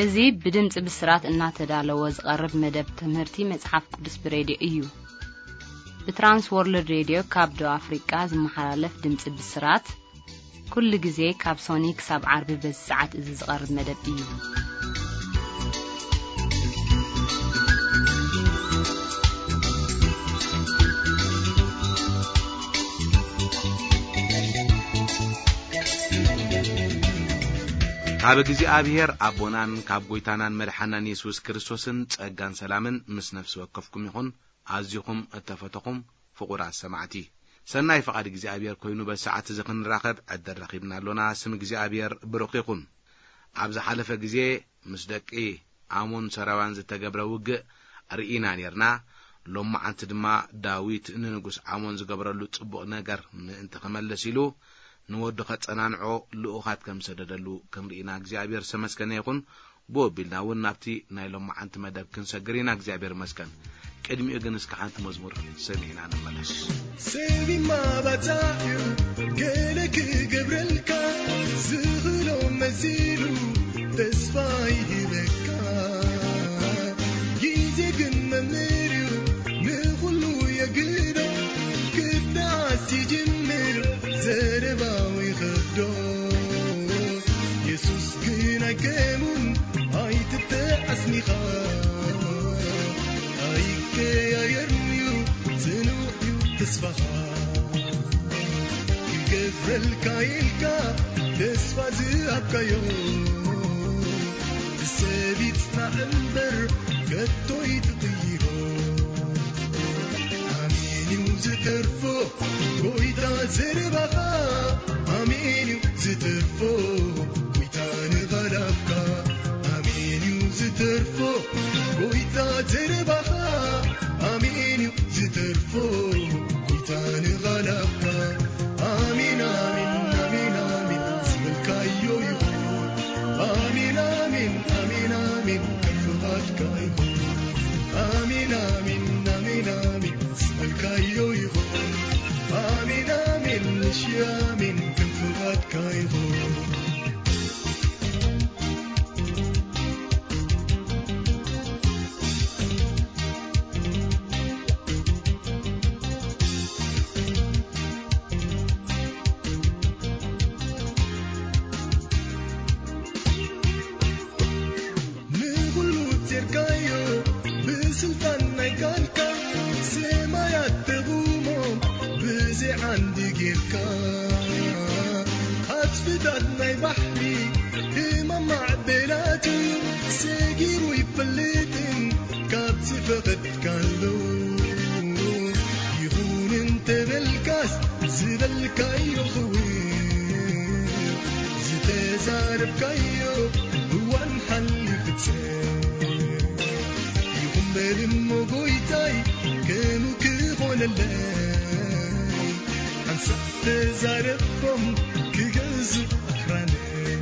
እዚ ብድምጺ ብስራት እናተዳለወ ዝቐርብ መደብ ትምህርቲ መጽሓፍ ቅዱስ ብሬድዮ እዩ። ብትራንስ ወርልድ ሬድዮ ካብ ደቡብ ኣፍሪቃ ዝመሓላለፍ ድምጺ ብስራት፣ ኩሉ ግዜ ካብ ሶኒ ክሳብ ዓርቢ በዚ ሰዓት እዚ ዝቐርብ መደብ እዩ። ካብ እግዚኣብሔር ኣቦናን ካብ ጐይታናን መድሓናን የሱስ ክርስቶስን ጸጋን ሰላምን ምስ ነፍሲ ወከፍኩም ይኹን። ኣዚኹም እተፈተኹም ፍቑራት ሰማዕቲ፣ ሰናይ ፍቓድ እግዚኣብሔር ኮይኑ በዚ ሰዓት እዚ ክንራኸብ ዕድል ረኺብና ኣሎና። ስም እግዚኣብሔር ብሩኽ ይኹን። ኣብ ዝሓለፈ ግዜ ምስ ደቂ ኣሞን ሰራውያን ዝተገብረ ውግእ ርኢና ኔርና። ሎመዓንቲ ድማ ዳዊት ንንጉስ ኣሞን ዝገበረሉ ጽቡቕ ነገር ምእንቲ ክመልስ ኢሉ ንወዱ ኸጸናንዖ ልኡኻት ከም ዝሰደደሉ ክንርኢና እግዚኣብሔር ዝተመስገነ ይኹን። ብኡ ኣቢልና እውን ናብቲ ናይ ሎመዓንቲ መደብ ክንሰግር ኢና። እግዚኣብሔር ይመስገን። ቅድሚኡ ግን እስከ ሓንቲ መዝሙር ሰሚዕና ንመለስ። ሰብ ይማባጻዕ እዩ ገለ ክገብረልካ፣ ዝኽእሎ መሲሉ ተስፋ ይህበካ። ግዜ ግን መምህር እዩ ንኹሉ የግዶ፣ ክትነኣስ ይጅምር ዘረባው ይኸብዶ። የሱስ ግን ኣይከሙን ኣይትተዓስኒኻ፣ ኣይቀያየርንዩ ጽኑዕዩ ተስፋኻ። ክገብረልካ ኢልካ ተስፋ ዝሃብካዮ፣ ብሰብ ይጽናዕ እምበር ከቶ ይትቕይሮ። ኣሜን እዩ ዝተርፎ ጎይታ ዘረባኻ፣ ኣሜን እዩ ዝተርፎ ጎይታ ንቓላትካ፣ ኣሜን እዩ ዝተርፎ ጎይታ ዘረባኻ፣ ኣሜን እዩ ዝተርፎ ጎይታ ንቓላትካ። ኣሜን፣ ኣሜን፣ ኣሜን፣ ኣሜን ዝበልካዮ ይኹን። ኣሜን፣ ኣሜን፣ ኣሜን፣ ኣሜን ከም ፍቓድካ ይኹን። ኣሜን፣ ኣሜን፣ ኣሜን፣ ኣሜን ዝበልካዮ ይኹን። ኣሜን፣ ኣሜን፣ ንሺ ኣሜን ከም ፍቓድካ ይኹን። ንኹሉ ጼርካዮ ብስልጣን ናይ ቃልካ፣ ሰማያት ተቑሞም ብዘይ ዓንዲ ጌርካ። ዓጽፍታት ናይ ባሕሪ ህማም ማዕበላቱ ሰጊሩ ይፈልጥን ካብ ዝፈቐድካሉ ይኹን እንተበልካስ ዝበልካዮ ክውን ዝተዛረብካዮ እዋን ሓሊፉ ይኹን በል እሞ ጎይታይ ከሙ ክኾነለይ ሓንሳብ ተዛረቦም ክገዝእ ኣኽራነይ።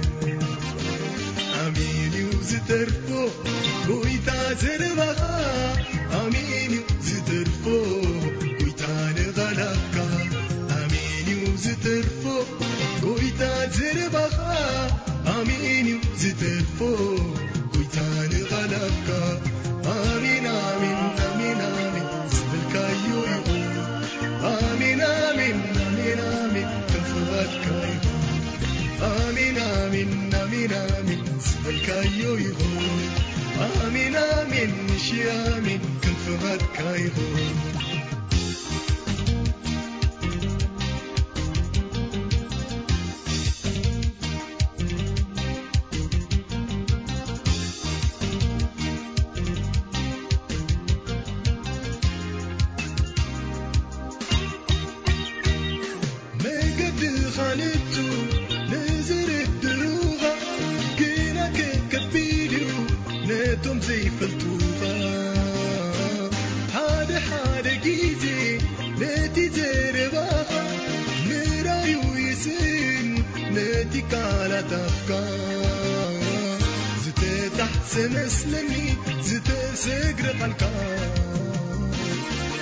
ኣሜን እዩ ዝተርፎ ጎይታ ዘረባኻ፣ ኣሜን እዩ ዝተርፎ ጎይታ ንቓላትካ፣ ኣሜን እዩ ዝተርፎ ጎይታ ዘረባኻ፣ ኣሜን እዩ ዝተርፎ ጎይታ ንቓላትካ፣ ኣሜን፣ ኣሜን፣ ኣሜን፣ ኣሜን ዝበልካዮ ይኹን። ኣሜን፣ ኣሜን፣ ኣሜን፣ ኣሜን ከም ፍቓድካ ይኹን። ኣሜን፣ ኣሜን፣ ኣሜን፣ ኣሜን ዝበልካዮ ይኹን። ኣሜን፣ ኣሜን፣ ንሺ ኣሜን ከም ፍቓድካ ይኹን። መገድኻ ንቱ ንዝርድሩኻ፣ ግና ከከቢድ እዩ ነቶም ዘይፈልጡኻ። ሓደ ሓደ ግዜ ነቲ ዘረባኻ ምራዩ ይስእን ነቲ ቃላት ኣፍካ። ዝተጣሕሰ መስለኒ ዝተሰግረ ቃልካ፣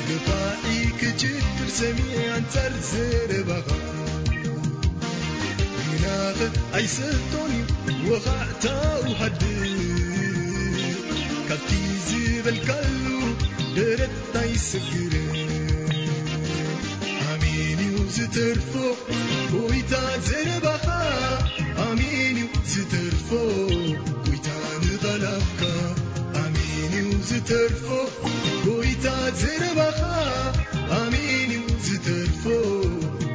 ገፋዒ ክችክር ሰሚዐ ኣንጻር ዘረባኻ። ግናኸ ኣይሰልጦን እዩ ወኻዕታኡ ሃድን ካብቲ ዝበልካሉ ደረት ኣይስግርን። ኣሜን እዩ ዝተርፎ ጎይታ ዘረባኻ፣ ኣሜን እዩ ዝተርፎ ጎይታ ንቓላትካ፣ ኣሜን እዩ ዝተርፎ ጎይታ ዘረባኻ፣ ኣሜን እዩ ዝተርፎ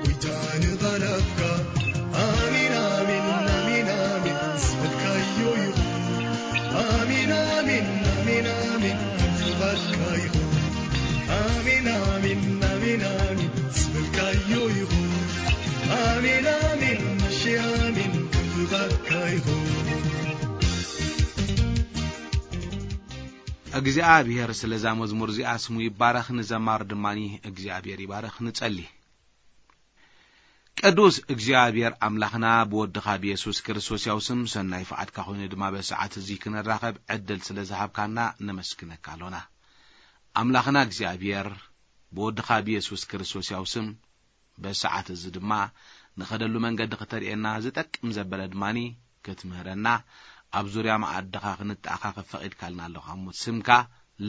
ጎይታ ንቓላትካ። ኣሜን፣ ኣሜን፣ ኣሜን፣ ኣሜን ዝበልካዮ ይኹን። ኣሜን፣ ኣሜን፣ ኣሜን፣ ኣሜን ፍቓድካ ይኹን። ኣሜን፣ ኣሜን፣ ኣሜን፣ ኣሜን ዝበልካዮ ይኹን። ኣሜን፣ ኣሜን፣ መሸ ኣሜን ከም ፍቓድካ ይኹን። እግዚኣብሔር ስለዛ መዝሙር እዚኣ ስሙ ይባረኽ፣ ንዘማር ድማኒ እግዚኣብሔር ይባረኽ። ንጸሊ። ቅዱስ እግዚኣብሔር ኣምላኽና፣ ብወድኻ ብየሱስ ክርስቶስ ያው ስም ሰናይ ፍቓድካ ኮይኑ ድማ በሰዓት እዚ ክንራኸብ ዕድል ስለ ዝሃብካና ነመስግነካ ኣሎና። ኣምላኽና እግዚኣብሔር፣ ብወድኻ ብየሱስ ክርስቶስ ያው ስም በሰዓት እዚ ድማ ንኸደሉ መንገዲ ክተርእየና፣ ዝጠቅም ዘበለ ድማኒ ክትምህረና፣ ኣብ ዙርያ መኣድኻ ክንተኣኻኸብ ፈቒድካልና ኣለኻ እሞ ስምካ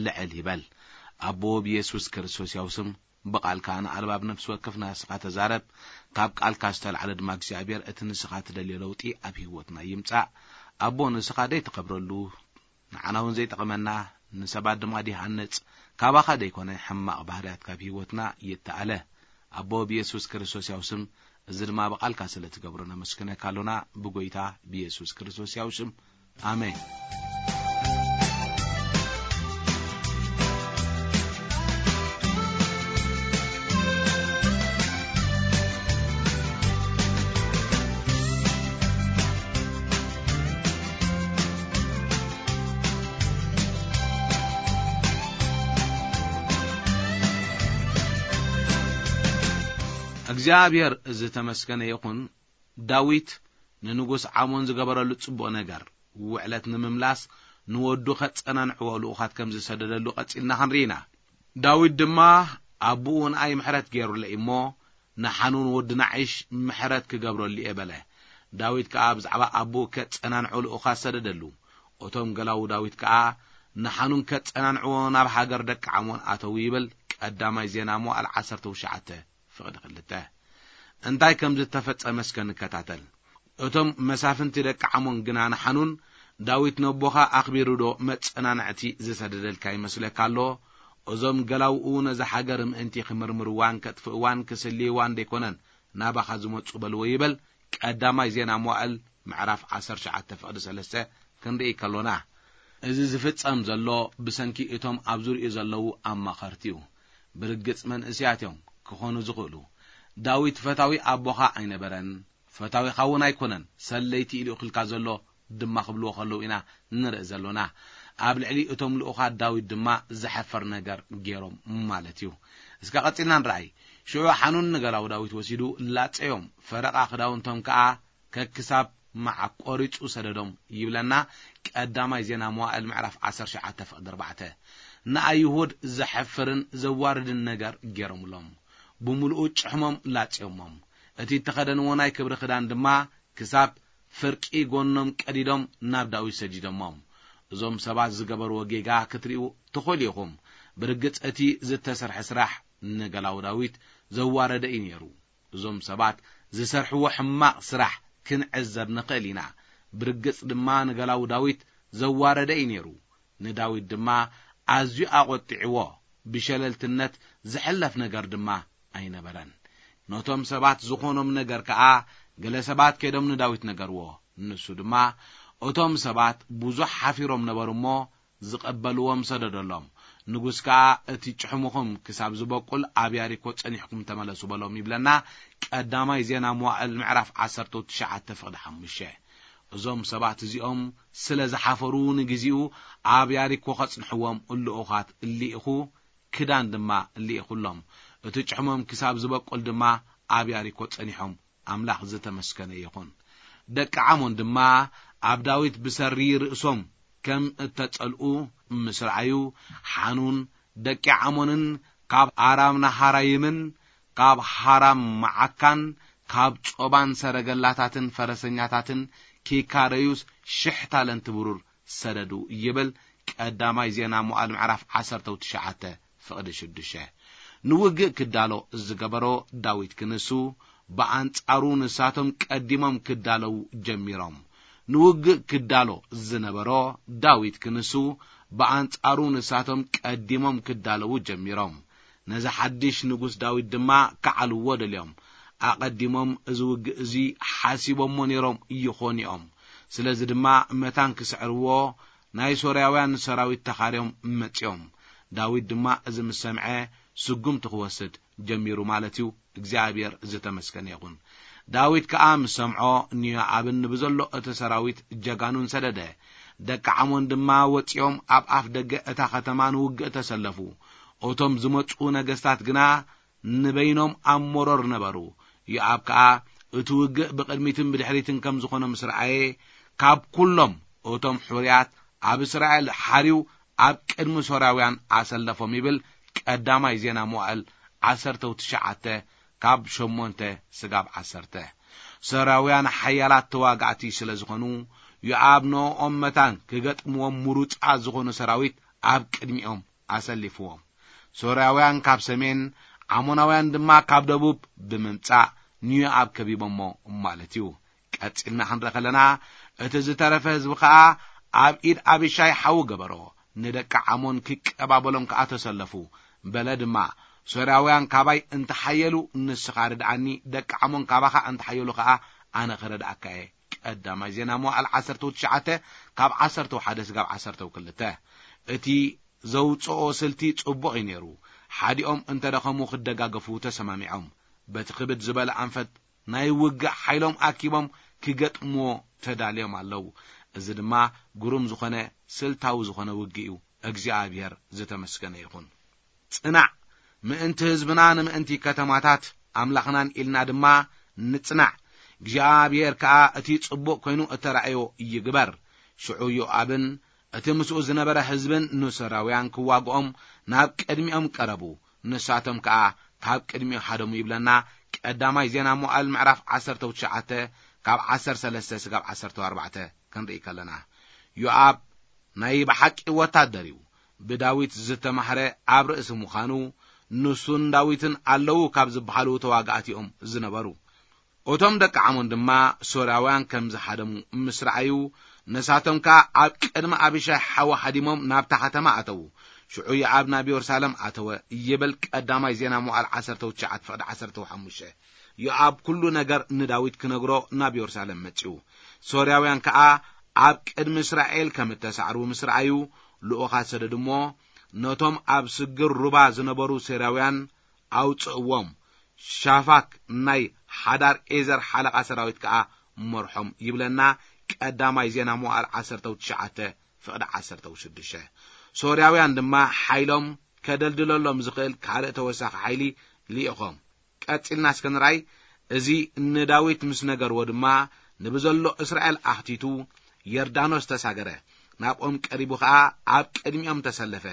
ልዕል ይበል። ኣቦ ብየሱስ ክርስቶስ ያው ስም ብቓልካ ንኣልባብ ነፍሲ ወከፍና ንስኻ ተዛረብ። ካብ ቃልካ ዝተላዕለ ድማ እግዚኣብሔር እቲ ንስኻ ትደልዮ ለውጢ ኣብ ህይወትና ይምጻእ። ኣቦ ንስኻ ደይትኸብረሉ ንዓና እውን ዘይጠቕመና ንሰባት ድማ ዲሃንጽ ካባኻ ደይኮነ ሕማቕ ባህርያት ካብ ህይወትና ይተኣለ። ኣቦ ብየሱስ ክርስቶስ ያው ስም እዚ ድማ ብቓልካ ስለ ትገብሮ ነመስግነካ ኣሎና ብጎይታ ብየሱስ ክርስቶስ ያው ስም። ኣሜን። እግዚኣብሔር ዝተመስገነ ይኹን። ዳዊት ንንጉስ ዓሞን ዝገበረሉ ጽቡቕ ነገር፣ ውዕለት ንምምላስ ንወዱ ከጸናንዕዎ ልኡኻት ከም ዝሰደደሉ ቀጺልና ክንርኢ ኢና። ዳዊት ድማ ኣቦኡ ንኣይ ምሕረት ገይሩለይ እሞ፣ ንሓኑን ወዲ ናዒሽ ምሕረት ክገብረሉ እየ በለ። ዳዊት ከኣ ብዛዕባ ኣቦኡ ከጸናንዑ ልኡኻት ሰደደሉ። እቶም ገላዉ ዳዊት ከኣ ንሓኑን ከጸናንዕዎ ናብ ሃገር ደቂ ዓሞን ኣተዉ ይብል። ቀዳማይ ዜና መዋዕል ዓሰርተ ትሽዓተ ፍቕዲ ክልተ። እንታይ ከም ዝተፈጸመ እስከ ንከታተል። እቶም መሳፍንቲ ደቂ ዓሞን ግና ንሓኑን፣ ዳዊት ነቦኻ ኣኽቢሩ ዶ መጸናንዕቲ ዝሰደደልካ ይመስለካ ኣሎ? እዞም ገላውኡ ነዛ ሃገር ምእንቲ ክምርምርዋን ከጥፍእዋን ክስልይዋን ደይኮነን ናባኻ ዝመጹ በልዎ ይበል። ቀዳማይ ዜና መዋዕል ምዕራፍ ዓሰርተ ትሽዓተ ፍቕዲ ሰለስተ ክንርኢ ከሎና፣ እዚ ዝፍጸም ዘሎ ብሰንኪ እቶም ኣብ ዙርያኡ ዘለዉ ኣማኸርቲ እዩ። ብርግጽ መንእሰያት እዮም ክኾኑ ዝኽእሉ። ዳዊት ፈታዊ ኣቦኻ ኣይነበረን፣ ፈታዊኻ እውን ኣይኮነን፣ ሰለይቲ ኢሉ ይኽልካ ዘሎ ድማ ክብልዎ ከለዉ ኢና ንርኢ ዘሎና። ኣብ ልዕሊ እቶም ልኡኻት ዳዊት ድማ ዘሐፍር ነገር ገይሮም ማለት እዩ። እስከ ቀጺልና ንረኣይ። ሽዑ ሓኑን ንገላው ዳዊት ወሲዱ ላጸዮም፣ ፈረቓ ክዳውንቶም ከኣ ከክሳብ መዓት ቆሪጹ ሰደዶም ይብለና። ቀዳማይ ዜና መዋዕል ምዕራፍ ዓሰርተ ትሽዓተ ፍቕዲ ኣርባዕተ። ንኣይሁድ ዘሐፍርን ዘዋርድን ነገር ገይሮምሎም፣ ብምሉኡ ጭሕሞም ላጽዮሞም። እቲ እተኸደንዎ ናይ ክብሪ ክዳን ድማ ክሳብ ፍርቂ ጎኖም ቀዲዶም ናብ ዳዊት ሰዲዶሞም። እዞም ሰባት ዝገበርዎ ጌጋ ክትርእዩ ትኽእሉ ኢኹም። ብርግጽ እቲ ዝተሰርሐ ስራሕ ንገላው ዳዊት ዘዋረደ እዩ ነይሩ። እዞም ሰባት ዝሰርሕዎ ሕማቕ ስራሕ ክንዕዘብ ንኽእል ኢና። ብርግጽ ድማ ንገላው ዳዊት ዘዋረደ እዩ ነይሩ። ንዳዊት ድማ ኣዝዩ ኣቖጢዕዎ። ብሸለልትነት ዝሕለፍ ነገር ድማ ኣይነበረን። ነቶም ሰባት ዝኾኖም ነገር ከኣ ገለ ሰባት ከይዶም ንዳዊት ነገርዎ። ንሱ ድማ፣ እቶም ሰባት ብዙሕ ሓፊሮም ነበሩ እሞ ዝቐበልዎም ሰደደሎም። ንጉስ ከኣ፣ እቲ ጭሕሙኹም ክሳብ ዝበቁል ኣብ ያሪኮ ጸኒሕኩም ተመለሱ በሎም ይብለና። ቀዳማይ ዜና መዋዕል ምዕራፍ ዓሰርተ ትሽዓተ ፍቕዲ ሓሙሽተ። እዞም ሰባት እዚኦም ስለ ዝሓፈሩ ንግዜኡ ኣብ ያሪኮ ከጽንሕዎም ልኡኻት ልኢኹ፣ ክዳን ድማ ልኢኹሎም። እቲ ጭሕሞም ክሳብ ዝበቁል ድማ ኣብ ያሪኮ ጸኒሖም። ኣምላኽ ዝተመስገነ ይኹን። ደቂ ዓሞን ድማ ኣብ ዳዊት ብሰሪ ርእሶም ከም እተጸልኡ ምስ ረኣዩ፣ ሓኑን ደቂ ዓሞንን ካብ ኣራም ናሃራይምን ካብ ሃራም መዓካን ካብ ጾባን ሰረገላታትን ፈረሰኛታትን ኪካረዩስ ሽሕ ታለንት ብሩር ሰደዱ ይብል። ቀዳማይ ዜና መዋዕል ምዕራፍ ዓሰርተ ትሽዓተ ፍቕዲ ሽዱሽተ። ንውግእ ክዳሎ ዝገበሮ ዳዊት ክንሱ፣ ብኣንጻሩ ንሳቶም ቀዲሞም ክዳለዉ ጀሚሮም። ንውግእ ክዳሎ ዝነበሮ ዳዊት ክንሱ፣ ብኣንጻሩ ንሳቶም ቀዲሞም ክዳለዉ ጀሚሮም። ነዚ ሓድሽ ንጉስ ዳዊት ድማ ክዓልዎ ደልዮም። ኣቐዲሞም እዚ ውግእ እዚ ሓሲቦሞ ነይሮም ይኾኑ እዮም። ስለዚ ድማ መታን ክስዕርዎ ናይ ሶርያውያን ሰራዊት ተኻርዮም መጺኦም። ዳዊት ድማ እዚ ምስ ሰምዐ ስጉምቲ ክወስድ ጀሚሩ ማለት እዩ። እግዚኣብሔር ዝተመስገነ ይኹን። ዳዊት ከኣ ምስ ሰምዖ ንዮኣብን ንብዘሎ እቲ ሰራዊት ጀጋኑን ሰደደ። ደቂ ዓሞን ድማ ወጺኦም ኣብ ኣፍ ደገ እታ ከተማ ንውግእ ተሰለፉ። እቶም ዝመጹ ነገስታት ግና ንበይኖም ኣብ መሮር ነበሩ። ዮኣብ ከኣ እቲ ውግእ ብቕድሚትን ብድሕሪትን ከም ዝኾነ ምስ ረኣየ፣ ካብ ኩሎም እቶም ሕሩያት ኣብ እስራኤል ሓርዩ ኣብ ቅድሚ ሶርያውያን ኣሰለፎም ይብል ቀዳማይ ዜና መዋዕል ዓሰርተ ትሽዓተ ካብ ሸሞንተ ስጋብ ዓሰርተ። ሶርያውያን ሓያላት ተዋጋእቲ ስለ ዝኾኑ፣ ዮኣብ ንኦም መታን ክገጥምዎም ምሩጻት ዝኾኑ ሰራዊት ኣብ ቅድሚኦም ኣሰሊፍዎም። ሶርያውያን ካብ ሰሜን፣ ዓሞናውያን ድማ ካብ ደቡብ ብምምጻእ ንዮኣብ ከቢቦሞ ማለት እዩ። ቀጺልና ክንርኢ ከለና፣ እቲ ዝተረፈ ህዝቢ ኸኣ ኣብ ኢድ ኣቢሻይ ሓዉ ገበሮ። ንደቂ ዓሞን ክቀባበሎም ከኣ ተሰለፉ። በለ ድማ፣ ሶርያውያን ካባይ እንተሓየሉ ንስኻ ርድኣኒ፣ ደቂ ዓሞን ካባኻ እንተሓየሉ ኸኣ ኣነ ክረድኣካ እየ። ቀዳማይ ዜና መዋዕል ዓሰርተ ትሽዓተ ካብ ዓሰርተ ሓደ ስጋብ ዓሰርተ ክልተ። እቲ ዘውጽኦ ስልቲ ጽቡቕ እዩ ነይሩ። ሓዲኦም እንተ ደኸሙ ክደጋገፉ ተሰማሚዖም። በቲ ክብድ ዝበለ ኣንፈት ናይ ውግእ ሓይሎም ኣኪቦም ክገጥምዎ ተዳልዮም ኣለዉ። እዚ ድማ ግሩም ዝኾነ ስልታዊ ዝኾነ ውግእ እዩ። እግዚኣብሔር ዝተመስገነ ይኹን። ጽናዕ፣ ምእንቲ ህዝብና ንምእንቲ ከተማታት ኣምላኽናን ኢልና ድማ ንጽናዕ። እግዚኣብሔር ከኣ እቲ ጽቡቕ ኮይኑ እተራእዮ ይግበር። ሽዑ ዮኣብን እቲ ምስኡ ዝነበረ ህዝብን ንሶርያውያን ክዋግኦም ናብ ቅድሚኦም ቀረቡ። ንሳቶም ከኣ ካብ ቅድሚኡ ሃደሙ ይብለና። ቀዳማይ ዜና መዋዕል ምዕራፍ ዓሰርተ ትሽዓተ ካብ ዓሰርተ ሰለስተ ስጋብ ዓሰርተ ኣርባዕተ ክንርኢ ከለና፣ ዮኣብ ናይ ብሓቂ ወታደር እዩ። ብዳዊት ዝተማህረ ኣብ ርእሲ ምዃኑ፣ ንሱን ዳዊትን ኣለዉ ካብ ዝበሃሉ ተዋጋእቲ እዮም ዝነበሩ። እቶም ደቂ ዓሞን ድማ ሶርያውያን ከም ዝሃደሙ ምስ ረኣዩ፣ ንሳቶም ከኣ ኣብ ቅድሚ ኣቢሻይ ሓዊ ሃዲሞም ናብታ ከተማ ኣተዉ። ሽዑ ዮኣብ ናብ የሩሳሌም ኣተወ ይብል ቀዳማይ ዜና መዋዕል ዓሰርተ ትሽዓተ ፍቕዲ ዓሰርተ ሓሙሽተ። ዮኣብ ኩሉ ነገር ንዳዊት ክነግሮ ናብ የሩሳሌም መጺኡ። ሶርያውያን ከኣ ኣብ ቅድሚ እስራኤል ከም እተሳዕሩ ምስ ረኣዩ፣ ልኡኻት ሰደዱ እሞ፣ ነቶም ኣብ ስግር ሩባ ዝነበሩ ሶርያውያን ኣውጽእዎም። ሻፋክ ናይ ሓዳር ኤዘር ሓለቓ ሰራዊት ከኣ መርሖም ይብለና ቀዳማይ ዜና መዋዕል ዓሰርተ ትሽዓተ ፍቕዲ ዓሰርተ ሽዱሽተ። ሶርያውያን ድማ ሓይሎም ከደልድለሎም ዝኽእል ካልእ ተወሳኺ ሓይሊ ልኢኾም። ቀጺልና እስከ ንርኣይ። እዚ ንዳዊት ምስ ነገርዎ ድማ፣ ንብዘሎ እስራኤል ኣኽቲቱ ዮርዳኖስ ተሳገረ። ናብኦም ቀሪቡ ኸኣ ኣብ ቅድሚኦም ተሰለፈ።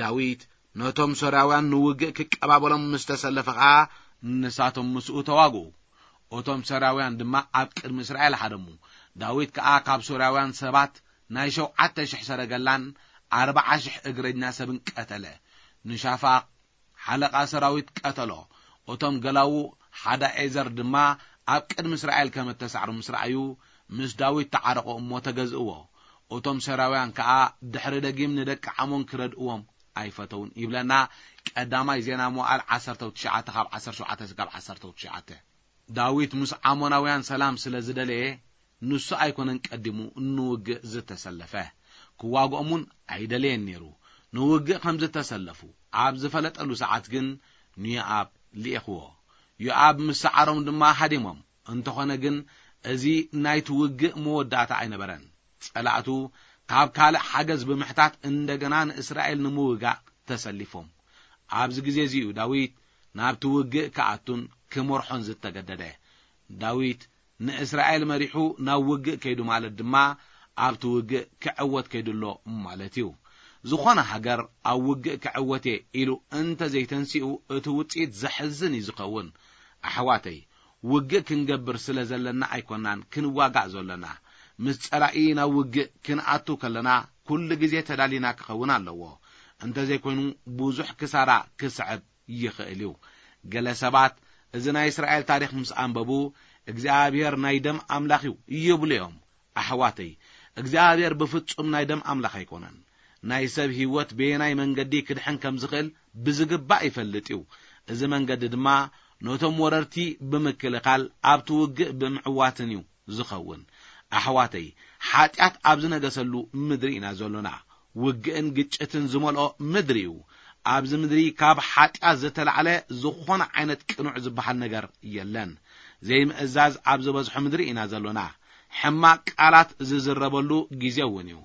ዳዊት ነቶም ሶርያውያን ንውግእ ክቀባበሎም ምስ ተሰለፈ ኸኣ፣ ንሳቶም ምስኡ ተዋግኡ። እቶም ሶርያውያን ድማ ኣብ ቅድሚ እስራኤል ሃደሙ። ዳዊት ከኣ ካብ ሶርያውያን ሰባት ናይ ሸውዓተ ሽሕ ሰረገላን ኣርብዓ ሽሕ እግረኛ ሰብን ቀተለ። ንሻፋክ ሓለቓ ሰራዊት ቀተሎ። እቶም ገላዉ ሓዳኤዘር ድማ ኣብ ቅድሚ እስራኤል ከም እተሳዕሩ ምስ ረኣዩ፣ ምስ ዳዊት ተዓረቑ እሞ ተገዝእዎ። እቶም ሶርያውያን ከኣ ድሕሪ ደጊም ንደቂ ዓሞን ክረድእዎም ኣይፈተውን ይብለና ቀዳማይ ዜና መዋዕል ዓሰርተ ትሽዓተ ካብ ዓሰርተ ሸውዓተ ስጋብ ዓሰርተ ትሽዓተ። ዳዊት ምስ ዓሞናውያን ሰላም ስለ ዝደለየ፣ ንሱ ኣይኮነን ቀዲሙ ንውግእ ዝተሰለፈ። ክዋግኦም እውን ኣይደለየን ነይሩ። ንውግእ ከም ዝተሰለፉ ኣብ ዝፈለጠሉ ሰዓት ግን ንዮኣብ ልኢኽዎ። ዮኣብ ምስ ሰዓሮም ድማ ሃዲሞም። እንተኾነ ግን፣ እዚ ናይቲ ውግእ መወዳእታ ኣይነበረን። ጸላእቱ ካብ ካልእ ሓገዝ ብምሕታት እንደገና ንእስራኤል ንምውጋእ ተሰሊፎም። ኣብዚ ግዜ እዚ እዩ ዳዊት ናብቲ ውግእ ክኣቱን ክመርሖን ዝተገደደ። ዳዊት ንእስራኤል መሪሑ ናብ ውግእ ከይዱ ማለት ድማ ኣብቲ ውግእ ክዕወት ከይዱ ኣሎ ማለት እዩ። ዝኾነ ሃገር ኣብ ውግእ ክዕወት እየ ኢሉ እንተ ዘይተንሲኡ፣ እቲ ውጽኢት ዘሕዝን እዩ ዝኸውን። ኣሕዋተይ፣ ውግእ ክንገብር ስለ ዘለና ኣይኮናን ክንዋጋእ ዘሎና። ምስ ጸላኢ ናብ ውግእ ክንኣቱ ከለና ኩሉ ግዜ ተዳሊና ክኸውን ኣለዎ። እንተዘይኮይኑ ብዙሕ ክሳራ ክስዕብ ይኽእል እዩ። ገለ ሰባት እዚ ናይ እስራኤል ታሪኽ ምስ ኣንበቡ፣ እግዚኣብሔር ናይ ደም ኣምላኽ እዩ ይብሉ እዮም። ኣሕዋተይ፣ እግዚኣብሔር ብፍጹም ናይ ደም ኣምላኽ ኣይኮነን። ናይ ሰብ ህይወት በየናይ መንገዲ ክድሕን ከም ዝኽእል ብዝግባእ ይፈልጥ እዩ። እዚ መንገዲ ድማ ነቶም ወረርቲ ብምክልኻል ኣብቲ ውግእ ብምዕዋትን እዩ ዝኸውን። ኣሕዋተይ፣ ሓጢኣት ኣብ ዝነገሰሉ ምድሪ ኢና ዘሎና። ውግእን ግጭትን ዝመልኦ ምድሪ እዩ። ኣብዚ ምድሪ ካብ ሓጢኣት ዝተላዕለ ዝኾነ ዓይነት ቅኑዕ ዝበሃል ነገር የለን። ዘይምእዛዝ ኣብ ዝበዝሖ ምድሪ ኢና ዘሎና። ሕማቕ ቃላት ዝዝረበሉ ግዜ እውን እዩ።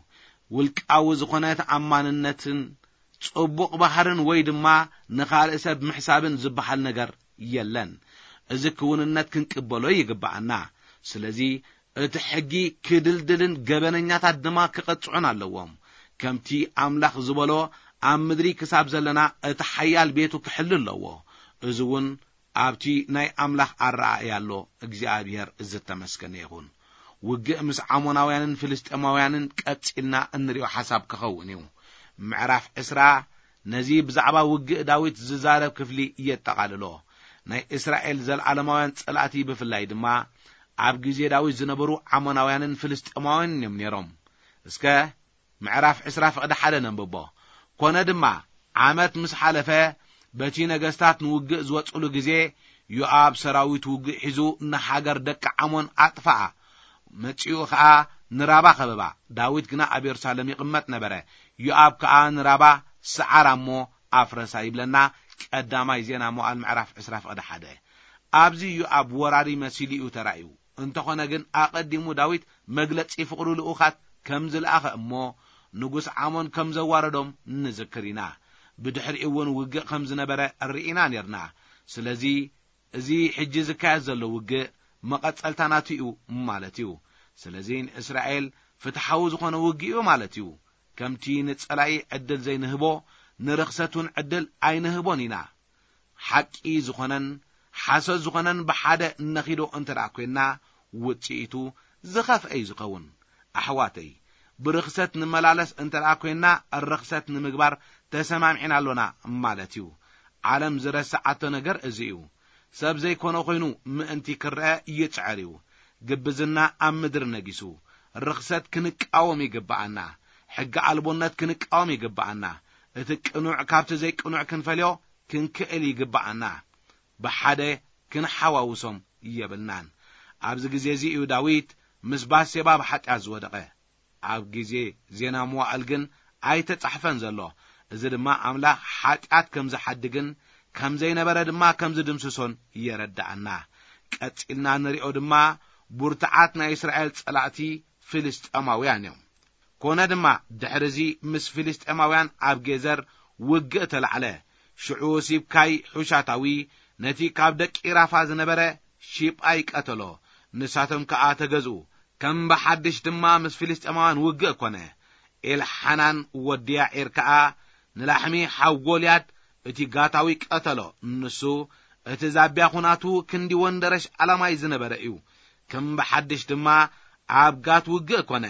ውልቃዊ ዝኾነ ተኣማንነትን ጽቡቕ ባህርን ወይ ድማ ንኻልእ ሰብ ምሕሳብን ዝበሃል ነገር የለን። እዚ ክውንነት ክንቅበሎ ይግብኣና። ስለዚ እቲ ሕጊ ክድልድልን ገበነኛታት ድማ ክቐጽዑን ኣለዎም። ከምቲ ኣምላኽ ዝበሎ ኣብ ምድሪ ክሳብ ዘለና እቲ ሓያል ቤቱ ክሕሉ ኣለዎ። እዚ እውን ኣብቲ ናይ ኣምላኽ ኣረኣእያ ኣሎ፣ እግዚኣብሔር ዝተመስገነ ይኹን። ውግእ ምስ ዓሞናውያንን ፍልስጤማውያንን ቀጺልና እንሪኦ ሓሳብ ክኸውን እዩ። ምዕራፍ ዕስራ ነዚ ብዛዕባ ውግእ ዳዊት ዝዛረብ ክፍሊ የጠቓልሎ። ናይ እስራኤል ዘለዓለማውያን ጸላእቲ ብፍላይ ድማ ኣብ ግዜ ዳዊት ዝነበሩ ዓሞናውያንን ፍልስጤማውያንን እዮም ነይሮም። እስከ ምዕራፍ ዕስራ ፍቕዲ ሓደ ነንብቦ። ኮነ ድማ ዓመት ምስ ሓለፈ በቲ ነገስታት ንውግእ ዝወጽሉ ግዜ ዮኣብ ሰራዊት ውግእ ሒዙ ንሃገር ደቂ ዓሞን ኣጥፍኣ። መጺኡ ኸኣ ንራባ ኸበባ። ዳዊት ግና ኣብ የሩሳሌም ይቕመጥ ነበረ። ዮኣብ ከኣ ንራባ ሰዓራ እሞ ኣፍረሳ ይብለና ቀዳማይ ዜና መዋዕል ምዕራፍ ዕስራ ፍቕዲ ሓደ። ኣብዚ ዮኣብ ወራሪ መሲሉ እዩ ተራእዩ። እንተኾነ ግን ኣቐዲሙ ዳዊት መግለጺ ፍቕሩ ልኡኻት ከም ዝለኣኸ እሞ ንጉስ ዓሞን ከም ዘዋረዶም ንዝክር ኢና። ብድሕሪኡ እውን ውግእ ከም ዝነበረ ርኢና ኔርና። ስለዚ እዚ ሕጂ ዝካየድ ዘሎ ውግእ መቐጸልታ ናቱ እዩ ማለት እዩ። ስለዚ ንእስራኤል ፍትሓዊ ዝኾነ ውግእ እዩ ማለት እዩ። ከምቲ ንጸላኢ ዕድል ዘይንህቦ ንርኽሰት እውን ዕድል ኣይንህቦን ኢና። ሓቂ ዝኾነን ሓሶት ዝኾነን ብሓደ እነኺዶ እንተ ደኣ ኮይንና፣ ውጽኢቱ ዝኸፍአ እዩ ዝኸውን። ኣሕዋተይ፣ ብርኽሰት ንመላለስ እንተ ደኣ ኮይንና፣ ርኽሰት ንምግባር ተሰማሚዕና ኣሎና ማለት እዩ። ዓለም ዝረስዓቶ ነገር እዚ እዩ። ሰብ ዘይኮነ ኮይኑ ምእንቲ ክረአ ይጽዕር እዩ። ግብዝና ኣብ ምድሪ ነጊሱ። ርኽሰት ክንቃወም ይግብኣና። ሕጊ ኣልቦነት ክንቃወም ይግብኣና። እቲ ቅኑዕ ካብቲ ዘይቅኑዕ ክንፈልዮ ክንክእል ይግብኣና። ብሓደ ክንሓዋውሶም የብልናን። ኣብዚ ግዜ እዚ እዩ ዳዊት ምስ ባሴባ ብሓጢኣት ዝወደቐ። ኣብ ግዜ ዜና መዋዕል ግን ኣይተጻሕፈን ዘሎ። እዚ ድማ ኣምላኽ ሓጢኣት ከም ዝሓድግን ከም ዘይነበረ ድማ ከም ዝድምስሶን የረድኣና። ቀጺልና ንሪኦ ድማ ቡርትዓት ናይ እስራኤል ጸላእቲ ፍልስጤማውያን እዮም። ኮነ ድማ ድሕሪ እዚ ምስ ፍልስጤማውያን ኣብ ጌዘር ውግእ ተላዕለ። ሽዑ ሲብካይ ሑሻታዊ ነቲ ካብ ደቂ ራፋ ዝነበረ ሺጳይ ቀተሎ። ንሳቶም ከኣ ተገዝኡ። ከም ብሓድሽ ድማ ምስ ፍልስጤማውያን ውግእ ኮነ። ኤልሓናን ወዲ ያዒር ከኣ ንላሕሚ ሓው ጎልያድ እቲ ጋታዊ ቀተሎ። ንሱ እቲ ዛብያ ኹናቱ ክንዲ ወንደረሽ ዓላማይ ዝነበረ እዩ። ከም ብሓድሽ ድማ ኣብ ጋት ውግእ ኮነ።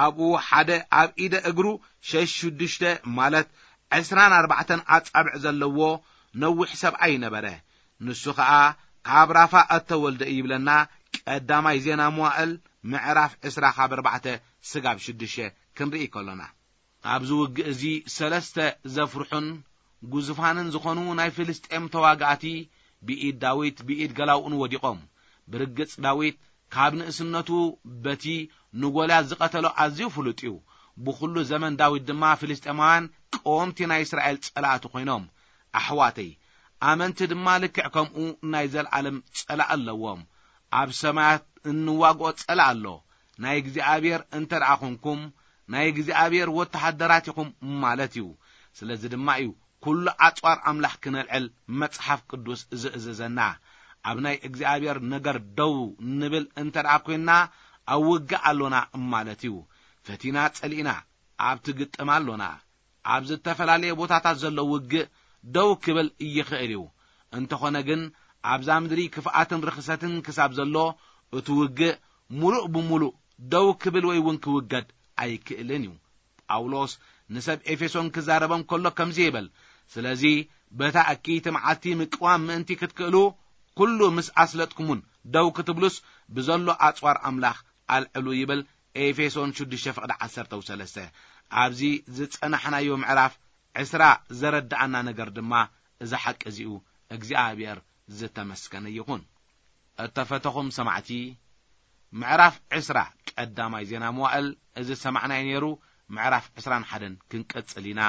ኣብኡ ሓደ ኣብ ኢደ እግሩ ሸሽ ሽዱሽተ ማለት ዕስራን ኣርባዕተን ኣጻብዕ ዘለዎ ነዊሕ ሰብኣይ ነበረ። ንሱ ኸኣ ካብ ራፋ እተወልደ እዩ ይብለና። ቀዳማይ ዜና መዋእል ምዕራፍ ዕስራ ካብ ኣርባዕተ ስጋብ ሽዱሽተ ክንርኢ ከሎና። ኣብዚ ውግእ እዚ ሰለስተ ዘፍርሑን ግዙፋንን ዝኾኑ ናይ ፍልስጤም ተዋጋእቲ ብኢድ ዳዊት ብኢድ ገላውኡን ወዲቖም። ብርግጽ ዳዊት ካብ ንእስነቱ በቲ ንጎልያት ዝቐተሎ ኣዝዩ ፍሉጥ እዩ። ብኹሉ ዘመን ዳዊት ድማ ፍልስጤማውያን ቀወምቲ ናይ እስራኤል ጸላእቲ ኮይኖም። ኣሕዋተይ፣ ኣመንቲ ድማ ልክዕ ከምኡ ናይ ዘለኣለም ጸላእ ኣለዎም። ኣብ ሰማያት እንዋግኦ ጸላእ ኣሎ። ናይ እግዚኣብሔር እንተ ደኣ ኾንኩም፣ ናይ እግዚኣብሔር ወተሃደራት ኢኹም ማለት እዩ። ስለዚ ድማ እዩ ኩሉ ኣጽዋር ኣምላኽ ክነልዕል መጽሓፍ ቅዱስ ዝእዝዘና። ኣብ ናይ እግዚኣብሔር ነገር ደው ንብል እንተ ደኣ ኰይንና፣ ኣብ ውግእ ኣሎና ማለት እዩ። ፈቲና ጸሊእና ኣብቲ ግጥም ኣሎና። ኣብ ዝተፈላለየ ቦታታት ዘሎ ውግእ ደው ክብል ይኽእል እዩ። እንተኾነ ግን ኣብዛ ምድሪ ክፍኣትን ርኽሰትን ክሳብ ዘሎ እቲ ውግእ ምሉእ ብምሉእ ደው ክብል ወይ እውን ክውገድ ኣይክእልን እዩ። ጳውሎስ ንሰብ ኤፌሶን ክዛረቦም ከሎ ከምዚ ይብል፣ "ስለዚ በታ እኪይቲ መዓልቲ ምቅዋም ምእንቲ ክትክእሉ፣ ኩሉ ምስ ኣስለጥኩሙን ደው ክትብሉስ፣ ብዘሎ ኣጽዋር ኣምላኽ ኣልዕሉ" ይብል። ኤፌሶን ሽዱሽተ ፍቕዲ ዓሰርተ ሰለስተ። ኣብዚ ዝጸናሕናዮ ምዕራፍ ዕስራ ዘረድኣና ነገር ድማ እዚ ሓቂ እዚኡ። እግዚኣብሔር ዝተመስገነ ይኹን። እተፈተኹም ሰማዕቲ፣ ምዕራፍ ዕስራ ቀዳማይ ዜና መዋእል እዚ ዝሰማዕናዮ ነይሩ። ምዕራፍ ዕስራን ሓደን ክንቀጽል ኢና።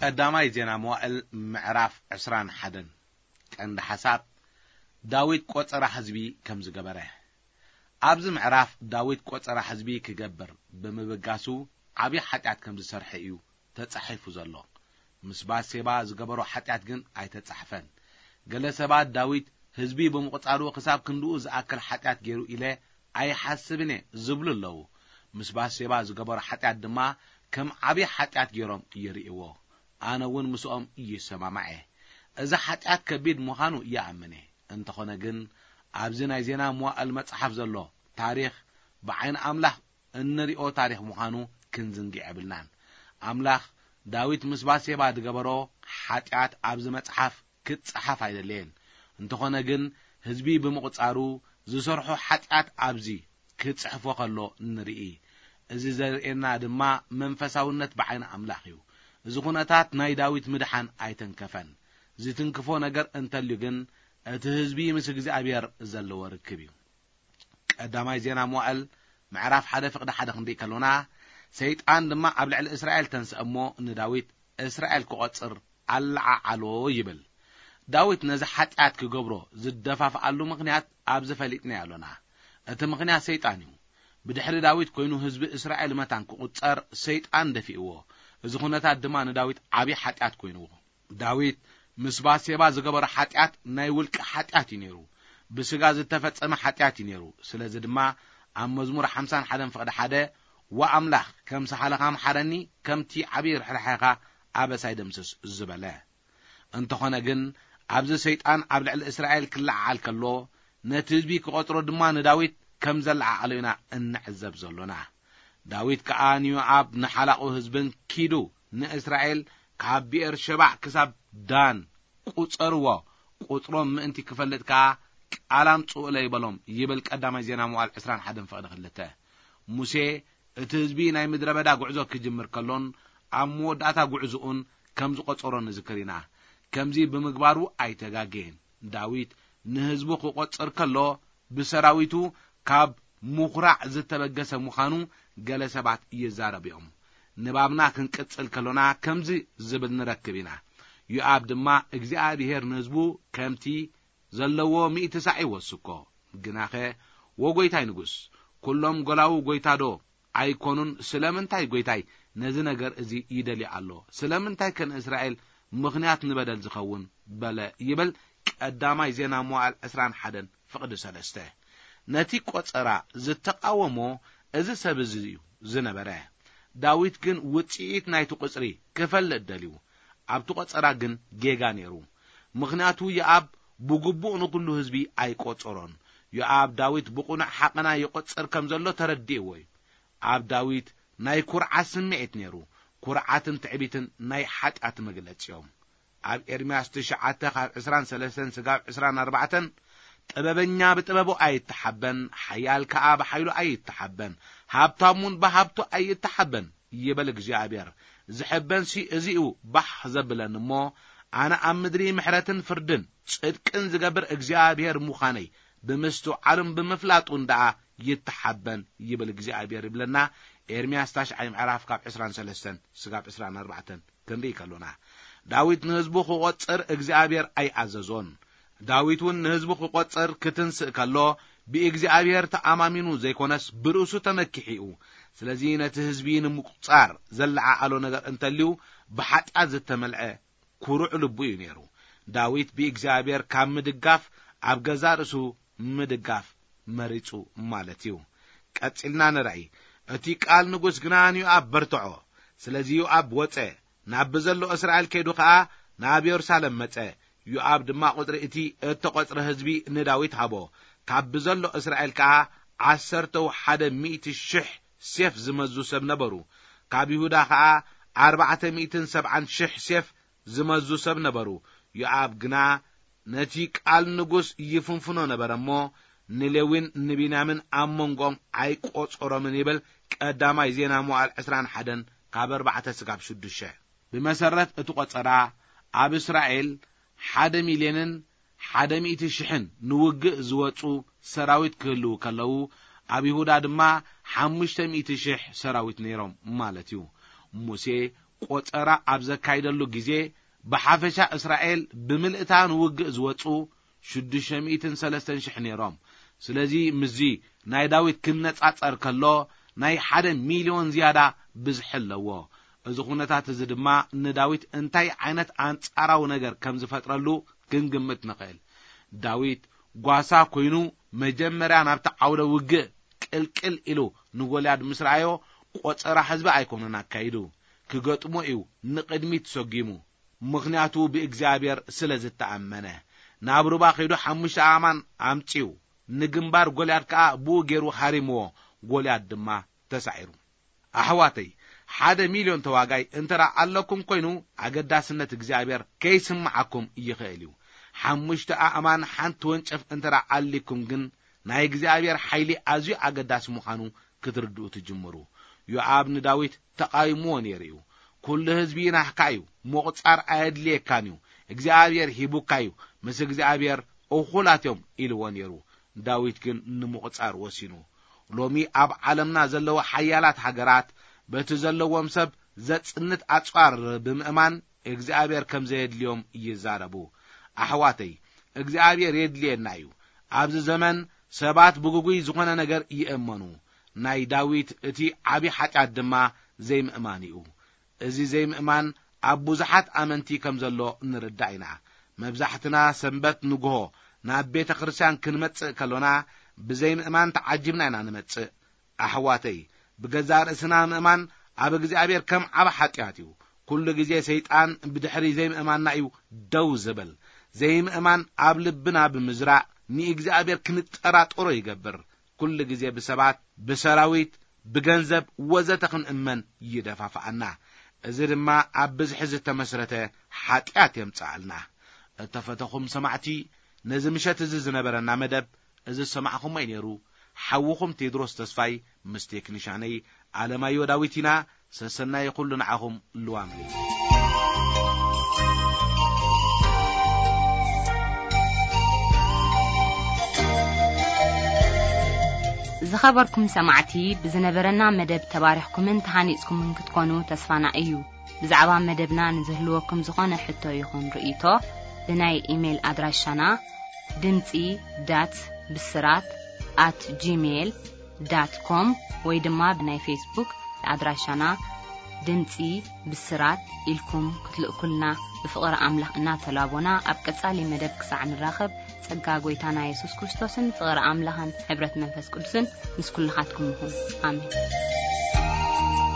ቀዳማይ ዜና መዋእል ምዕራፍ ዕስራን ሓደን። ቀንዲ ሓሳብ፣ ዳዊት ቆጸራ ህዝቢ ከም ዝገበረ። ኣብዚ ምዕራፍ ዳዊት ቆጸራ ህዝቢ ክገብር ብምብጋሱ ዓብዪ ሓጢኣት ከም ዝሰርሐ እዩ ተጻሒፉ ዘሎ። ምስ ባሴባ ዝገበሮ ሓጢኣት ግን ኣይተጻሕፈን። ገለ ሰባት ዳዊት ህዝቢ ብምቕጻሩ ክሳብ ክንድኡ ዝኣክል ሓጢኣት ገይሩ ኢለ ኣይሓስብን እየ ዝብሉ ኣለዉ። ምስ ባሴባ ዝገበሮ ሓጢኣት ድማ ከም ዓብዪ ሓጢኣት ገይሮም ይርእይዎ። ኣነ እውን ምስኦም ይሰማማዕ እየ። እዚ ሓጢኣት ከቢድ ምዃኑ ይኣምን እየ። እንተኾነ ግን ኣብዚ ናይ ዜና መዋእል መጽሓፍ ዘሎ ታሪኽ ብዓይኒ ኣምላኽ እንሪኦ ታሪኽ ምዃኑ ክንዝንግዕ የብልናን። ኣምላኽ ዳዊት ምስ ባሴባ ዝገበሮ ሓጢኣት ኣብዚ መጽሓፍ ክጸሓፍ ኣይደለየን። እንተኾነ ግን ህዝቢ ብምቕጻሩ ዝሰርሖ ሓጢኣት ኣብዚ ክጽሕፎ ከሎ ንርኢ። እዚ ዘርእየና ድማ መንፈሳውነት ብዓይኒ ኣምላኽ እዩ። እዚ ኩነታት ናይ ዳዊት ምድሓን ኣይተንከፈን። ዝትንክፎ ነገር እንተልዩ ግን እቲ ህዝቢ ምስ እግዚኣብሔር ዘለዎ ርክብ እዩ። ቀዳማይ ዜና መዋእል ምዕራፍ ሓደ ፍቕዲ ሓደ ክንርኢ ከሎና፣ ሰይጣን ድማ ኣብ ልዕሊ እስራኤል ተንስአ እሞ ንዳዊት እስራኤል ክቖጽር ኣለዓዓሎ ይብል። ዳዊት ነዚ ሓጢኣት ክገብሮ ዝደፋፍኣሉ ምኽንያት ኣብዚ ፈሊጥናዮ ኣሎና። እቲ ምኽንያት ሰይጣን እዩ። ብድሕሪ ዳዊት ኮይኑ ህዝቢ እስራኤል መታን ክቑጸር ሰይጣን ደፊእዎ። እዚ ኩነታት ድማ ንዳዊት ዓብዪ ሓጢኣት ኮይንዎ። ዳዊት ምስ ባሴባ ዝገበሮ ሓጢኣት ናይ ውልቂ ሓጢኣት እዩ ነይሩ። ብስጋ ዝተፈጸመ ሓጢኣት እዩ ነይሩ። ስለዚ ድማ ኣብ መዝሙር ሓምሳን ሓደን ፍቕዲ ሓደ፣ "ወኣምላኽ፣ ከም ሳሕልኻ ምሓረኒ፣ ከምቲ ዓብዪ ርሕራሐኻ ኣበሳይ ደምስስ" ዝበለ። እንተኾነ ግን፣ ኣብዚ ሰይጣን ኣብ ልዕሊ እስራኤል ክለዓዓል ከሎ፣ ነቲ ህዝቢ ክቖጽሮ ድማ ንዳዊት ከም ዘለዓዓሎ ኢና እንዕዘብ ዘሎና። ዳዊት ከኣ ንዮኣብ ንሓላቑ ህዝብን ኪዱ ንእስራኤል ካብ ብኤር ሸባዕ ክሳብ ዳን ቁጸርዎ፣ ቁጽሮም ምእንቲ ክፈልጥ ከኣ ቃል ኣምጽኡለይ በሎም ይብል ቀዳማይ ዜና መዋዕል ዕስራን ሓደን ፍቕዲ ክልተ። ሙሴ እቲ ህዝቢ ናይ ምድረ በዳ ጉዕዞ ክጅምር ከሎን ኣብ መወዳእታ ጉዕዞኡን ከም ዝቖጸሮ ንዝክር ኢና። ከምዚ ብምግባሩ ኣይተጋገየን። ዳዊት ንህዝቡ ክቖጽር ከሎ ብሰራዊቱ ካብ ምኹራዕ ዝተበገሰ ምዃኑ ገለ ሰባት ይዛረቡ እዮም። ንባብና ክንቅጽል ከሎና ከምዚ ዝብል ንረክብ ኢና። ዮኣብ ድማ እግዚኣብሄር ንህዝቡ ከምቲ ዘለዎ ሚእቲ ሳዕ ይወስኮ። ግናኸ ወጎይታይ ንጉስ፣ ኩሎም ጎላዉ ጎይታዶ ኣይኮኑን? ስለምንታይ ጎይታይ ነዚ ነገር እዚ ይደሊ ኣሎ? ስለምንታይ ከ ንእስራኤል ምኽንያት ንበደል ዝኸውን በለ ይብል ቀዳማይ ዜና መዋዕል ዕስራን ሓደን ፍቕዲ ሰለስተ። ነቲ ቆጸራ ዝተቃወሞ እዚ ሰብ እዚ እዩ ዝነበረ። ዳዊት ግን ውጽኢት ናይቲ ቁጽሪ ክፈልጥ ደልዩ። ኣብቲ ቆጸራ ግን ጌጋ ነይሩ። ምኽንያቱ ዮኣብ ብግቡእ ንኹሉ ህዝቢ ኣይቆጸሮን። ዮኣብ ዳዊት ብቕኑዕ ሓቐና ይቆጽር ከም ዘሎ ተረዲእዎ እዩ። ኣብ ዳዊት ናይ ኩርዓት ስምዒት ነይሩ። ኩርዓትን ትዕቢትን ናይ ሓጢኣት መግለጺ እዮም። ኣብ ኤርምያስ ትሽዓተ ካብ ዕስራን ሰለስተን ስጋብ ዕስራን ኣርባዕተን፣ "ጥበበኛ ብጥበቡ ኣይተሓበን፣ ሓያል ከኣ ብሓይሉ ኣይተሓበን፣ ሃብታም እውን ብሃብቱ ኣይተሓበን" ይብል እግዚኣብሔር። ዝሕበንሲ እዚ'ዩ ባህ ዘብለኒ እሞ፣ ኣነ ኣብ ምድሪ ምሕረትን ፍርድን ጽድቅን ዝገብር እግዚኣብሔር ምዃነይ ብምስትውዓሉን ብምፍላጡን ደኣ ይተሓበን ይብል እግዚኣብሔር ይብለና። ኤርምያስ ታሽዓይ ምዕራፍ ካብ ዕስራን ሰለስተን ስጋብ ዕስራን ኣርባዕተን ክንርኢ ከሎና፣ ዳዊት ንህዝቡ ክቖጽር እግዚኣብሔር ኣይኣዘዞን። ዳዊት እውን ንህዝቡ ክቖጽር ክትንስእ ከሎ፣ ብእግዚኣብሔር ተኣማሚኑ ዘይኮነስ ብርእሱ ተመኪሑ እዩ። ስለዚ ነቲ ህዝቢ ንምቁጻር ዘለዓዓሎ ነገር እንተልዩ፣ ብሓጢኣት ዝተመልዐ ኩሩዕ ልቡ እዩ ነይሩ። ዳዊት ብእግዚኣብሔር ካብ ምድጋፍ ኣብ ገዛእ ርእሱ ምድጋፍ መሪጹ ማለት እዩ። ቀጺልና ንርኣይ። እቲ ቃል ንጉስ ግና ንዮኣብ በርትዖ። ስለዚ ዮኣብ ወጸ፣ ናብ ብዘሎ እስራኤል ከይዱ ኸኣ ናብ የሩሳሌም መጸ። ዮኣብ ድማ ቁጽሪ እቲ እተቖጽረ ህዝቢ ንዳዊት ሃቦ። ካብ ብዘሎ እስራኤል ከኣ ዓሰርተው ሓደ ሚእቲ ሽሕ ሴፍ ዝመዙ ሰብ ነበሩ። ካብ ይሁዳ ኸኣ ኣርባዕተ ሚእትን ሰብዓን ሽሕ ሴፍ ዝመዙ ሰብ ነበሩ። ዮኣብ ግና ነቲ ቃል ንጉስ ይፍንፍኖ ነበረ እሞ፣ ንሌዊን ንቢንያምን ኣብ መንጎኦም ኣይቆጸሮምን ይብል ቀዳማይ ዜና መዋዕል ዕስራን ሓደን ካብ ኣርባዕተ ስጋብ ሽዱሽተ። ብመሰረት እቲ ቆጸራ፣ ኣብ እስራኤል ሓደ ሚልዮንን ሓደ ሚእቲ ሽሕን ንውግእ ዝወጹ ሰራዊት ክህልዉ ከለዉ፣ ኣብ ይሁዳ ድማ ሓሙሽተ ሚእቲ ሽሕ ሰራዊት ነይሮም ማለት እዩ። ሙሴ ቆጸራ ኣብ ዘካይደሉ ግዜ፣ ብሓፈሻ እስራኤል ብምልእታ ንውግእ ዝወጹ ሽዱሽተ ሚእትን ሰለስተን ሽሕ ነይሮም። ስለዚ ምስዚ ናይ ዳዊት ክነጻጸር ከሎ፣ ናይ ሓደ ሚልዮን ዝያዳ ብዝሒ ኣለዎ። እዚ ኩነታት እዚ ድማ ንዳዊት እንታይ ዓይነት ኣንጻራዊ ነገር ከም ዝፈጥረሉ ክንግምት ንኽእል። ዳዊት ጓሳ ኮይኑ መጀመርያ ናብቲ ዓውደ ውግእ ቅልቅል ኢሉ ንጎልያድ ምስ ረኣዮ፣ ቆጸራ ህዝቢ ኣይኮነን ኣካይዱ፣ ክገጥሞ እዩ ንቕድሚት ሰጒሙ። ምኽንያቱ ብእግዚኣብሔር ስለ ዝተኣመነ። ናብ ሩባ ከይዱ ሓሙሽተ ኣእማን ኣምጺኡ፣ ንግንባር ጎልያድ ከኣ ብኡ ገይሩ ሃሪምዎ፣ ጎልያድ ድማ ተሳዒሩ። ኣሕዋተይ፣ ሓደ ሚልዮን ተዋጋይ እንተ ደኣ ኣለኩም ኮይኑ፣ ኣገዳስነት እግዚኣብሔር ከይስምዓኩም ይኽእል እዩ። ሓሙሽተ ኣእማን ሓንቲ ወንጨፍ እንተ ደኣ ኣሊኩም ግን፣ ናይ እግዚኣብሔር ሓይሊ ኣዝዩ ኣገዳሲ ምዃኑ ክትርድኡ ትጅምሩ። ዮኣብ ንዳዊት ተቓዊምዎ ነይሩ እዩ። "ኩሉ ህዝቢ ናህካ እዩ፣ ምቑጻር ኣየድልየካን እዩ። እግዚኣብሔር ሂቡካ እዩ፣ ምስ እግዚኣብሔር እኹላት እዮም" ኢልዎ ነይሩ። ዳዊት ግን ንምቑጻር ወሲኑ። ሎሚ ኣብ ዓለምና ዘለዉ ሓያላት ሃገራት በቲ ዘለዎም ሰብ ዘጽንት ኣጽዋር ብምእማን እግዚኣብሔር ከም ዘየድልዮም ይዛረቡ። ኣሕዋተይ፣ እግዚኣብሔር የድልየና እዩ። ኣብዚ ዘመን ሰባት ብግጉይ ዝኾነ ነገር ይእመኑ። ናይ ዳዊት እቲ ዓቢ ሓጢኣት ድማ ዘይምእማን እዩ። እዚ ዘይምእማን ኣብ ብዙሓት ኣመንቲ ከም ዘሎ ንርዳእ ኢና። መብዛሕትና ሰንበት ንግሆ ናብ ቤተ ክርስቲያን ክንመጽእ ከሎና፣ ብዘይምእማን ተዓጂብና ኢና ንመጽእ። ኣሕዋተይ፣ ብገዛእ ርእስና ምእማን ኣብ እግዚኣብሔር ከም ዓቢ ሓጢኣት እዩ። ኩሉ ግዜ ሰይጣን ብድሕሪ ዘይምእማንና እዩ ደው ዝብል። ዘይምእማን ኣብ ልብና ብምዝራእ ንእግዚኣብሔር ክንጠራጠሮ ይገብር። ኩሉ ግዜ ብሰባት፣ ብሰራዊት፣ ብገንዘብ ወዘተ ክንእመን ይደፋፍኣና። እዚ ድማ ኣብ ብዝሒ ዝተመስረተ ሓጢኣት የምጽኣልና። እተፈተኹም ሰማዕቲ፣ ነዚ ምሸት እዚ ዝነበረና መደብ እዚ ዝሰማዕኹሞ እዩ ነይሩ። ሓውኹም ቴድሮስ ተስፋይ ምስ ቴክኒሻነይ ኣለማዮ ዳዊት ኢና። ሰሰናይ ኩሉ ንዓኹም። ልዋም ዝኸበርኩም ሰማዕቲ፣ ብዝነበረና መደብ ተባሪኽኩምን ተሃኒጽኩምን ክትኮኑ ተስፋና እዩ። ብዛዕባ መደብና ንዝህልወኩም ዝኾነ ሕቶ ይኹን ርእይቶ፣ ብናይ ኢሜይል ኣድራሻና ድምጺ ዳት ብስራት ኣት ጂሜይል ዳት ኮም ወይ ድማ ብናይ ፌስቡክ ኣድራሻና ድምጺ ብስራት ኢልኩም ክትልእኩልና ብፍቕሪ ኣምላኽ እናተላቦና፣ ኣብ ቀጻሊ መደብ ክሳዕ ንራኸብ፣ ጸጋ ጐይታና የሱስ ክርስቶስን ፍቕሪ ኣምላኽን ሕብረት መንፈስ ቅዱስን ምስ ኩልኻትኩም ይኹን። ኣሜን።